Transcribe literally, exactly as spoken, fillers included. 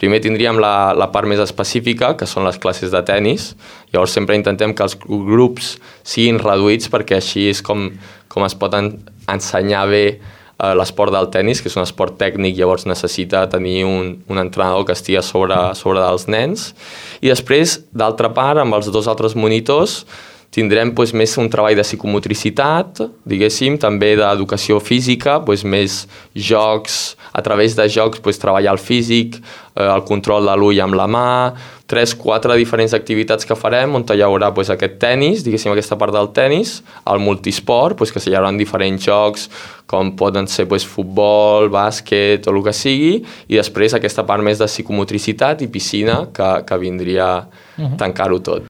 Primer tindríem la, la part més específica, que són les classes de tennis. Llavors sempre intentem que els grups siguin reduïts perquè així és com, com es pot en, ensenyar bé eh, l'esport del tennis, que és un esport tècnic, llavors necessita tenir un, un entrenador que estigui sobre, sobre dels nens. I després, d'altra part, amb els dos altres monitors, tindrem doncs, més un treball de psicomotricitat, diguéssim, també d'educació física, doncs, més jocs, a través de jocs doncs, treballar el físic, eh, el control de l'ull amb la mà, tres, quatre diferents activitats que farem, on hi haurà doncs, aquest tenis, diguéssim, aquesta part del tenis, el multisport, doncs, que hi haurà diferents jocs, com poden ser doncs, futbol, bàsquet o el que sigui, i després aquesta part més de psicomotricitat i piscina, que, que vindria a tancar-ho tot.